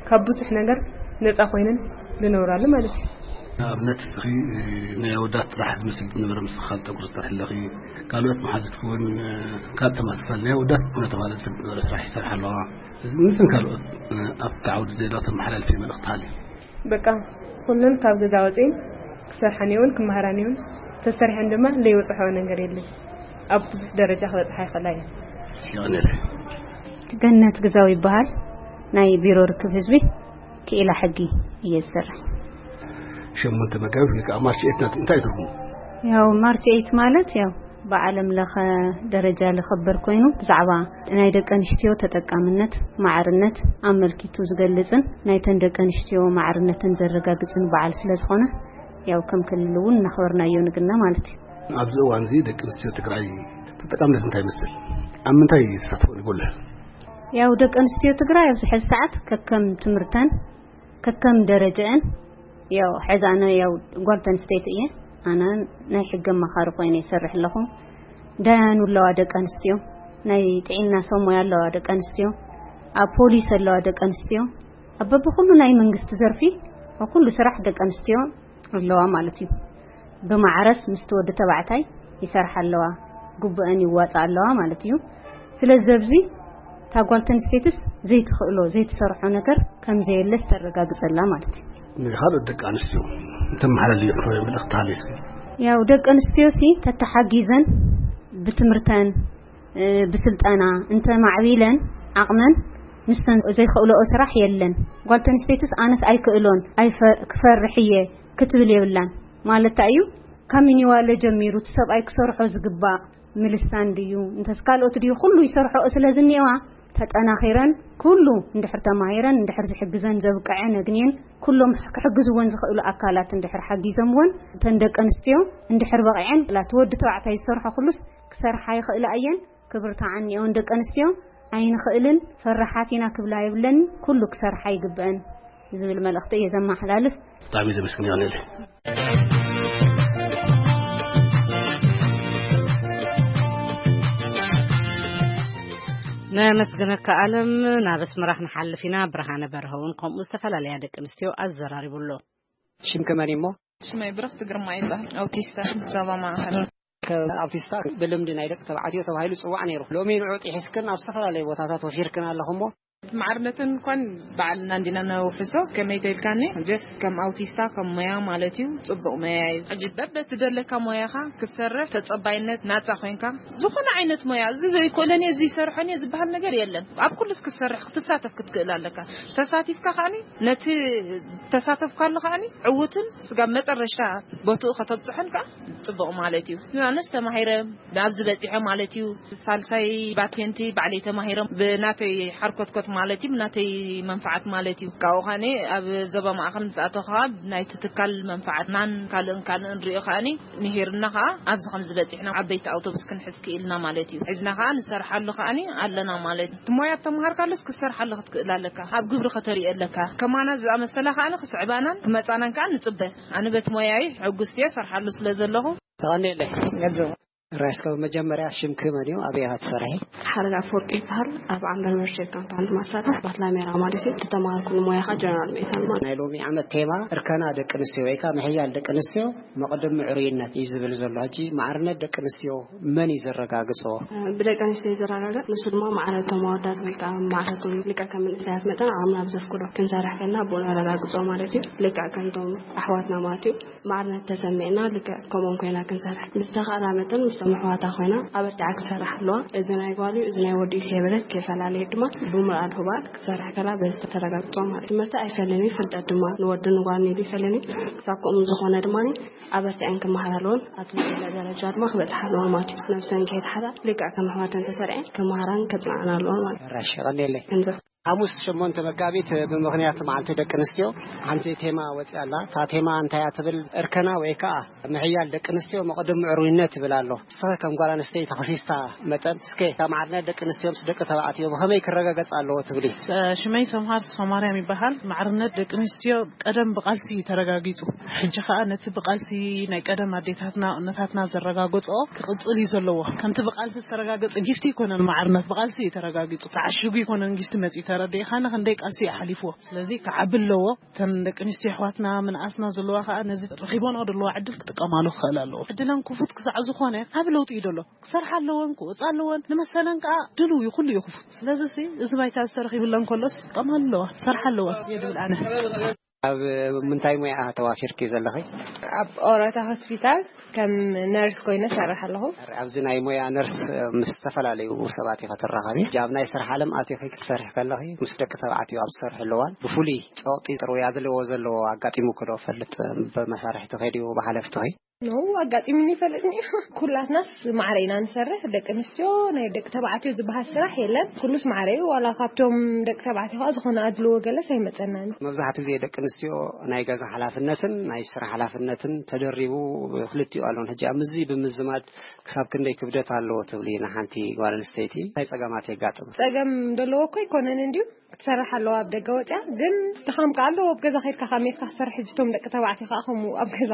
ካብ ብዙሕ ነገር ነፃ ኮይነን ዝነብራሉ ማለት እዩ። ንኣብነት እስኺ ናይ ኣወዳት ጥራሕ ዝመስል ዝነበረ፣ ምስ ኻል ጠጉሪ ዝሰርሕ ኣለኺ፣ ካልኦት መሓዙትኪ እውን ካብ ተመሳሳሊ ናይ ኣወዳት እናተባህለ ዝፈልጥ ዝነበረ ስራሕ ይሰርሓ ኣለዋ። እዚ ምስን ካልኦት ኣብቲ ዓውዲ ዜጋ ተመሓላልፊ መልእኽቲ ሃልዩ? በቃ ኩለን ካብ ገዛ ወፅኤን ክሰርሓን እውን ክመሃራን እውን፣ ተሰሪሐን ድማ ዘይበፅሐኦ ነገር የለን። ኣብ ብዙሕ ደረጃ ክበፅሓ ይኽእላ እየን። የቐንየለይ። ገነት ግዛው ይበሃል። ናይ ቢሮ ርክብ ህዝቢ ክኢላ ሕጊ እየ ዝሰርሕ። ሸሞንተ መጋቢት ወይ ከዓ ማርች ኤይት ናት እንታይ ትርጉሙ? ያው ማርች ኤይት ማለት ያው ብዓለም ለኸ ደረጃ ዝኽበር ኮይኑ፣ ብዛዕባ ናይ ደቂ ኣንስትዮ ተጠቃምነት፣ ማዕርነት ኣመልኪቱ ዝገልጽን ናይተን ደቂ ኣንስትዮ ማዕርነተን ዘረጋግጽን በዓል ስለ ዝኾነ፣ ያው ከም ክልል እውን እናኽበርናዮ ንግና ማለት እዩ። ኣብዚ እዋን እዚ ደቂ ኣንስትዮ ትግራይ ተጠቃምነት እንታይ ይመስል? ኣብ ምንታይ ተሳትፎ ይጎልሕ? ያው ደቂ ኣንስትዮ ትግራይ ኣብዚ ሕዚ ሰዓት ከከም ትምህርተን ከከም ደረጃአን፣ ያው ሕዚ ኣነ ያው ጓል ተንስተይቲ እየ። ኣነ ናይ ሕጊ ኣማኻሪ ኮይነ ይሰርሕ ኣለኹ። ዳያኑ ኣለዋ ደቂ ኣንስትዮ፣ ናይ ጥዕና ሰብ ሞያ ኣለዋ ደቂ ኣንስትዮ፣ ኣብ ፖሊስ ኣለዋ ደቂ ኣንስትዮ። ኣብ በብኩሉ ናይ መንግስቲ ዘርፊ፣ ኣብ ኩሉ ስራሕ ደቂ ኣንስትዮ ኣለዋ ማለት እዩ። ብማዕረስ ምስቲ ወዲ ተባዕታይ ይሰርሓ ኣለዋ፣ ግቡአን ይዋፃ ኣለዋ ማለት እዩ። ስለዚ ኣብዚ እታ ጓል ተንስተይትስ ዘይትኽእሎ ዘይትሰርሖ ነገር ከም ዘየለስ ተረጋግፀላ ማለት እዩ። ንኻልኦት ደቂ ኣንስትዮ እንተመሓላልዮ ክኸበ መልእኽቲ ሃልዩስ? ያው ደቂ ኣንስትዮ ሲ ተተሓጊዘን ብትምህርተን፣ እ፣ ብስልጠና እንተማዕቢለን ዓቕመን፣ ንሰን ዘይኽእልኦ ስራሕ የለን። ጓል ተንስተይትስ ኣነስ ኣይክእሎን ኣይፈ-፣ ክፈርሕ እየ ክትብል የብላን። ማለታ እዩ ካብ ሚኒዋለ ጀሚሩ እቲ ሰብኣይ ክሰርሖ ዝግባእ ምልሳን ድዩ እንተስ ካልኦት ድዩ ኩሉ ይሰርሖኦ ስለ ዝኒኤዋ፣ ተጠናኺረን ኩሉ እንድሕር ተማሂረን እንድሕር ዝሕግዘን ዘብቅዐን ኣግንየን ኩሎም ክሕግዝወን ዝኽእሉ ኣካላት እንድሕር ሓጊዞምወን፣ እተን ደቂ ኣንስትዮ እንድሕር በቒዐን፣ ላቲ ወዲ ተባዕታይ ዝሰርሖ ኩሉስ ክሰርሓ ይኽእላ እየን። ክብርታ ዓኒኦን ደቂ ኣንስትዮ ኣይንኽእልን፣ ፈራሓት ኢና ክብላ የብለን፣ ኩሉ ክሰርሓ ይግብአን ዝብል መልእኽቲ እየ ዘመሓላልፍ። ብጣዕሚ ዘመስግን ይሆነል። ነመስግነካ ኣለም። ናብ ኣስመራ ክንሓልፍ ኢና። ብርሃነ በርሀ እውን ከምኡ ዝተፈላለያ ደቂ ኣንስትዮ ኣዘራሪቡ ኣሎ። ሽምኪ መን እሞ? ሽመይ ብርኽቲ ግርማ ይበሃል። ኣውቲስታ ዞባ ማእኸል። ከ-፣ ኣውቲስታ ብልምዲ ናይ ደቂ ተባዕትዮ ተባሂሉ ዝጽዋዕ ነይሩ። ሎሚ ንዑ ጥሒስክን ኣብ ዝተፈላለዩ ቦታታት ወፊርክን ኣለኹ እሞ? ማዕርነትን እንኳን ባዕልና እንዲና ነውሕሶ። ከመይ ተልካኒ? ጀስት ከም ኣውቲስታ ከም ሞያ ማለት እዩ፣ ጽቡቕ ሞያ እዩ። ሕጂ በበቲ ደለካ ሞያኻ ክትሰርሕ ተጸባይነት ናጻ ኮይንካ፣ ዝኾነ ዓይነት ሞያ፣ እዚ ዘይክእሎን እየ፣ እዚ ይሰርሖን እየ ዝበሃል ነገር የለን። ኣብ ኩሉስ ክትሰርሕ፣ ክትሳተፍ ክትክእል ኣለካ። ተሳቲፍካ ከኣኒ ነቲ ተሳተፍካሉ ከኣኒ ዕዉትን ስጋብ መጠረሽታ ቦትኡ ከተብጽሖን ከኣ ጽቡቕ ማለት እዩ። ኣነስ ተማሂረ ናብዚ በጺሐ ማለት እዩ። ሳልሳይ ባቴንቲ ባዕለይ ተማሂረ ብናተይ ሓርኮትኮት ማለት እዩ፣ ናተይ መንፍዓት ማለት እዩ። ካብኡ ከኣኒ ኣብ ዞባ ማእኸል ምስ ኣተኹ ከዓ ናይቲ ትካል መንፍዓትናን ካልእን ካልእን ንሪኦ ከኣኒ ምሂርና ከዓ ኣብዚ ከም ዝበፂሕና ዓበይቲ ኣውቶቡስ ክንሕዝ ክኢልና ማለት እዩ። ሒዝና ከዓ ንሰርሓሉ ከኣኒ ኣለና ማለት እዩ። እቲ ሞያ እተምሃርካሉስ ክሰርሓሉ ክትክእል ኣለካ፣ ኣብ ግብሪ ከተሪኦ ኣለካ። ከማና ዝኣመሰላ ከኣኒ ክስዕባናን ክመፃናን ከዓ ንፅበ። ኣነ በቲ ሞያይ ሕጉስቲ እየ፣ ሰርሓሉ ስለ ዘለኹ። ተቐኒለይ። ራይስከ መጀመርያ ሽምኪ መን እዩ? ኣበይ ኢኻ ትሰርሒ? ሓረግ ኣፈወርቂ ይበሃል። ኣብ ዓምበር መርሸት ካምፓኒ ድማ እሰርሕ። ባትላሜራ ማለት እዩ። ዝተማሃርኩሉ ሞያ ኸዓ ጀነራል ሜታል ማለት። ናይ ሎሚ ዓመት ቴማ እርከና ደቂ ኣንስትዮ ወይ ከዓ ምሕያል ደቂ ኣንስትዮ መቕድም ምዕሩይነት እዩ ዝብል ዘሎ። ሕጂ ማዕርነት ደቂ ኣንስትዮ መን እዩ ዘረጋግጾ? ብደቂ ኣንስትዮ እዩ ዘረጋግጽ። ንሱ ድማ ማዕረ እቶም ኣወዳት ወይ ከዓ ማዕረ እቶም ልክዕ ከም መንእሰያት መጠን ዓቕምና ብዘፍቅዶ ክንሰርሕ ከለና ብኡ ነረጋግጾ ማለት እዩ። ልክዕ ከምቶም ኣሕዋትና ማለት እዩ። ማዕርነት ተሰሚዕና ልክዕ ከምኦም ኮይና ክንሰርሕ ብዝተኻእላ መጠን ምስቶም ኣሕዋታ ኮይና ኣበርቲዓ ክትሰርሕ ኣለዋ። እዚ ናይ ጓል እዩ፣ እዚ ናይ ወዲ እዩ ከይበለት ከይፈላለየት ድማ ብምልኣት ህባር ክትሰርሕ ከላ በዚ ተረጋግጾ ማለት እዩ። ትምህርቲ ኣይፈልን እዩ፣ ፍልጠት ድማ ንወድን ንጓልን ኢሉ ይፈልን እዩ። ክሳብ ከምኡ ዝኾነ ድማ ኣበርቲዐን ክመሃራ ኣለወን፣ ኣብቲ ዝደለ ደረጃ ድማ ክበጽሓ ኣለወን ማለት እዩ። ነብሰን ከይትሓታ ልክዕ ከም ኣሕዋተን ተሰሪዐን ክመሃራን ከጽንዓን ኣለወን ማለት እዩ። ራሽ ቀኒለይ። እንዘ ሓሙስ ሸሞንተ መጋቢት ብምኽንያት መዓልቲ ደቂ ኣንስትዮ ሓንቲ ቴማ ወፂኣ ኣላ። እታ ቴማ እንታይ እያ ትብል? እርከና ወይ ከዓ ምሕያል ደቂ ኣንስትዮ መቕድም ምዕሩይነት ትብል ኣሎ። ንስኸ ከም ጓል ኣንስተይቲ ተኸሲስታ መጠን እስከ እታ ማዕርነት ደቂ ኣንስትዮ ምስ ደቂ ተባዕትዮ ብኸመይ ክረጋገጽ ኣለዎ ትብሊ? ስ-፣ ሽመይ ሰምሃር ተስፋማርያም ይበሃል። ማዕርነት ደቂ ኣንስትዮ ቀደም ብቃልሲ እዩ ተረጋጊጹ። ሕጂ ከኣ ነቲ ብቃልሲ ናይ ቀደም ኣዴታትና እነታትና ዘረጋገጽኦ ክቕጽል እዩ ዘለዎ። ከምቲ ብቃልሲ ዝተረጋገጸ ጊፍቲ ኣይኮነን ማዕርነት፣ ብቃልሲ እዩ ተረጋጊጹ። ተዓሺጉ ኣይኮነን ጊፍቲ መጺኡ፣ ተረዲእኻኒ ክንደይ ቃልሲ እዩ ሓሊፍዎ። ስለዚ ክዓቢ ኣለዎ። እተን ደቂ ኣንስትዮ ኣሕዋትና ምንኣስና ዘለዋ ከኣ ነዚ ረኺቦንኦ ዘለዋ ዕድል ክጥቀማሉ ክኽእል ኣለዎ። ዕድለን ክፉት ክሳዕ ዝኾነ ዓቢ ለውጢ እዩ ዘሎ። ክሰርሓ ኣለወን፣ ክወጻ ኣለወን፣ ንመሰለን ከኣ ድልው እዩ፣ ኩሉ እዩ ክፉት። ስለዚ ሲ እዚ ባይታ ዝተረኺብለን ከሎስ ክጥቀማሉ ኣለዋ፣ ክሰርሓ ኣለወን እየ ድብል ኣነ። ኣብ ምንታይ ሞያ ተዋፊርኪ ዘለኺ? ኣብ ኦሮታ ሆስፒታል ከም ነርስ ኮይነ እሰርሕ ኣለኹ። ኣብዚ ናይ ሞያ ነርስ ምስ ዝተፈላለዩ ሰባት ኢኻ ትራኸቢ። ኣብ ናይ ስራሕ ዓለም ኣቲኺ ክትሰርሒ ከለኺ ምስ ደቂ ተባዕትዮ ኣብ ትሰርሕሉ እዋን ብፍሉይ ጸቕጢ ጥሩያ ዘለዎ ዘለዎ ኣጋጢሙኪ ዶ ፈልጥ? ብመሳርሕትኺ ድዩ ብሓለፍትኺ? ኖ፣ ኣጋጢሙኒ ይፈልጥኒ እዩ። ኩላትናስ ማዕረ ኢና ንሰርሕ። ደቂ ኣንስትዮ ናይ ደቂ ተባዕትዮ ዝበሃል ስራሕ የለን። ኩሉስ ማዕረ እዩ። ዋላ ካብቶም ደቂ ተባዕትዮ ከዓ ዝኾነ ኣድልዎ ገለስ ኣይመጸናን። መብዛሕትኡ ግዜ ደቂ ኣንስትዮ ናይ ገዛ ሓላፍነትን ናይ ስራሕ ሓላፍነትን ተደሪቡ ክልቲኡ ኣለውን። ሕጂ ኣብ ምዚ ብምዝማድ ክሳብ ክንደይ ክብደት ኣለዎ ትብሊ ንሓንቲ ጓል ኣንስተይቲ? እንታይ ጸገማት የጋጥም? ጸገም ዘለዎ እኮ ኣይኮነን እንድዩ። ክትሰርሕ ኣለዋ ኣብ ደገ ወፅያ፣ ግን ድኻም ከኣ ኣለዎ። ኣብ ገዛ ከይድካ ካብ ሜትካ ክትሰርሕ፣ ሕጂ እቶም ደቂ ተባዕትዮ ከኣ ከምኡ ኣብ ገዛ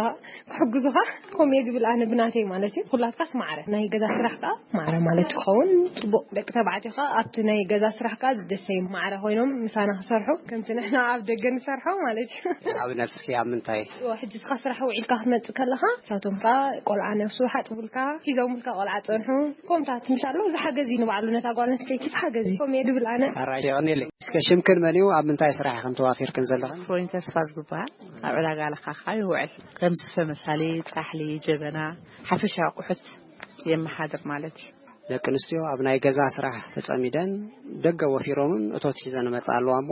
ክሕግዙኻ፣ ከምኡ እየ ዝብል ኣነ ብናተይ ማለት እዩ። ኩላትካስ ማዕረ ናይ ገዛ ስራሕ ከኣ ማዕረ ማለት ክኸውን ጽቡቕ። ደቂ ተባዕትዮ ከኣ ኣብቲ ናይ ገዛ ስራሕ ከኣ ደሰይ ማዕረ ኮይኖም ምሳና ክሰርሑ፣ ከምቲ ንሕና ኣብ ደገ ንሰርሖ ማለት እዩ። ኣብ ነብስኺ ኣብ ምንታይ? እዎ፣ ሕጂ እስኻ ስራሕ ውዒልካ ክትመጽእ ከለኻ፣ ንሳቶም ከኣ ቆልዓ ነብሱ ሓጥቡልካ፣ ሒዞምልካ ቆልዓ ጸንሑ። ከምታት ምሽ ኣሎ፣ እዚ ሓገዝ እዩ ንባዕሉ፣ ነታ ጓል ኣንስተይቲ ሓገዝ እዩ። ከምኡ እየ ድብል ኣነ። ኣራይ፣ የቐንየለይ። እስከ ሽምክን መን እዩ? ኣብ ምንታይ ስራሕ ኢኽን ተዋፊርክን ዘለኽን? ፍሮይን ተስፋ ዝበሃል። ኣብ ዕዳጋ ለኻኻ ይውዕል። ከም ስፈ መሳሊ፣ ጻሕሊ፣ ጀበና፣ ሓፈሻዊ ኣቑሑት የመሓድር ማለት እዩ። ደቂ ኣንስትዮ ኣብ ናይ ገዛ ስራሕ ተጸሚደን ደገ ወፊሮምን እቶት ሒዘን ይመጻ ኣለዋ እሞ፣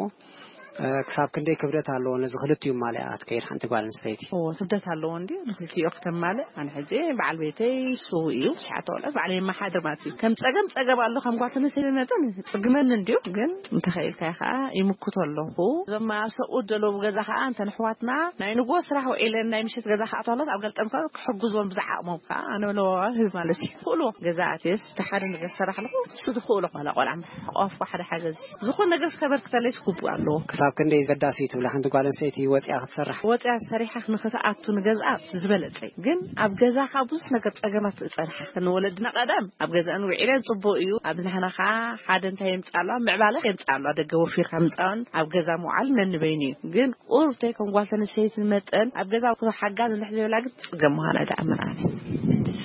እ፣ ክሳብ ክንደይ ክብደት ኣለዎ ነዚ ክልቲኡ ማልኣ ክትከይድ ሓንቲ ጓል ኣንስተይቲ? እዎ፣ ክብደት ኣለዎ እንድዩ። ንክልቲኡ ክተማልእ፣ ኣነ ሕጂ በዓል ቤተይ ስዉእ እዩ። ትሽዓተ ቆልዑት ባዕለይ የመሓድር ማለት እዩ። ከም ጸገም ጸገም ኣሎ፣ ከም ጓል ኣንስተይቲ መጠን ጽግመኒ እንድዩ። ግን እንተኸኢልካ ከኣ ይምክቶ ኣለኹ። እዞም ኣብ ሰብኡት ዘለዉ ገዛ ከኣ እንተን ኣሕዋትና ናይ ንግሆ ስራሕ ውዒለን ናይ ምሸት ገዛ ክኣትዋ ኣለዋ፣ ኣብ ገልጠም ከኣ ክሕግዝዎም ብዝዓቕሞም ከኣ ኣነ ለዋዋ ህብ ማለት እዩ። ክእልዎ ገዛ ኣትየስ እቲ ሓደ ነገር ዝሰራሕ ኣለኹ፣ ንሱ ዝኽእሎ ዋላ ቆልዓ ምሕቋፍ፣ ሓደ ሓገዝ፣ ዝኾነ ነገር ከበርክተለይስ ግቡእ ኣለዎ። ክሳብ ክንደይ ዘዳሲ ትብላ ሓንቲ ጓል ኣንስተይቲ ወፂኣ ክትሰርሕ? ወፂኣ ሰሪሓ ንክትኣቱ ንገዝኣ ዝበለጸ እዩ። ግን ኣብ ገዛኻ ብዙሕ ነገር ጸገማት ጸንሓ። ንወለድና ቀደም ኣብ ገዛእን ውዒለን ጽቡቕ እዩ። ኣብዚ ንሕና ኸዓ ሓደ እንታይ የምጽእ ኣለዋ? ምዕባለ የምጽእ ኣለዋ። ደገ ወፊርካ ምጻእን ኣብ ገዛ ምውዓል ነንበይኑ እዩ። ግን ቁሩብ ተይ ከም ጓል ተነስተይቲ መጠን ኣብ ገዛ ሓጋዝ እንድሕር ዘይብላ ግን ትጽገም ምዃና ይትኣምን ኣነ።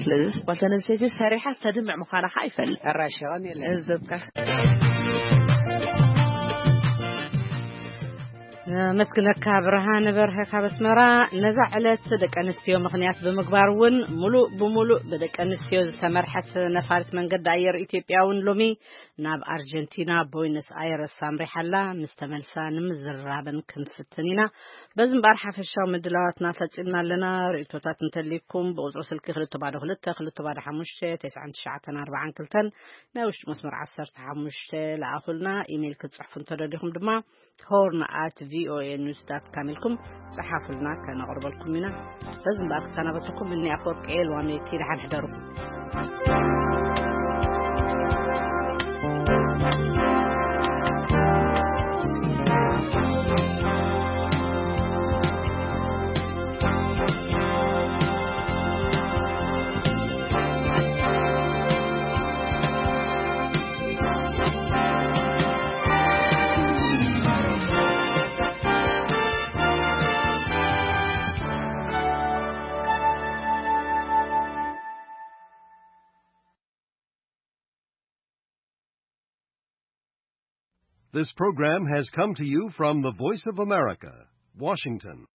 ስለዚ ጓል ተነስተይቲ ሰሪሓ ዝተድምዕ ምዃና ከዓ ይፈልጥ። ሕራሽ ይኸውን የለን። እዘብካ። መስግነካ ብርሃን በርሀ ካብ ኣስመራ። ነዛ ዕለት ደቂ ኣንስትዮ ምኽንያት ብምግባር እውን ሙሉእ ብሙሉእ ብደቂ ኣንስትዮ ዝተመርሐት ነፋሪት መንገዲ ኣየር ኢትዮጵያ እውን ሎሚ ናብ ኣርጀንቲና ቦይነስ ኣይረስ ኣምሪሓላ። ምስ ተመልሳ ንምዝራብን ክንፍትን ኢና። በዚ እምበኣር ሓፈሻዊ ምድላዋትና ፈጺምና ኣለና። ርእይቶታት እንተልይኩም ብቁጽሪ ስልኪ ክልተ ባዶ ክልተ ክልተ ባዶ ሓሙሽተ ተስዓን ትሽዓተን ኣርባዓን ክልተን ናይ ውሽጢ መስመር ዓሰርተ ሓሙሽተ ለኣኹልና። ኢሜይል ክትጽሕፉ እንተደሊኹም ድማ ሆርን ኣት ቪኦኤ ኒውስ ዳት ካም ኢልኩም ጸሓፉልና፣ ከነቕርበልኩም ኢና። በዚ እምበኣር ክሰናበትኩም እኒ ኣፈወርቂ ኤልዋሜቲ፣ ደሓን ሕደሩ። This program has come to you from the Voice of America, Washington.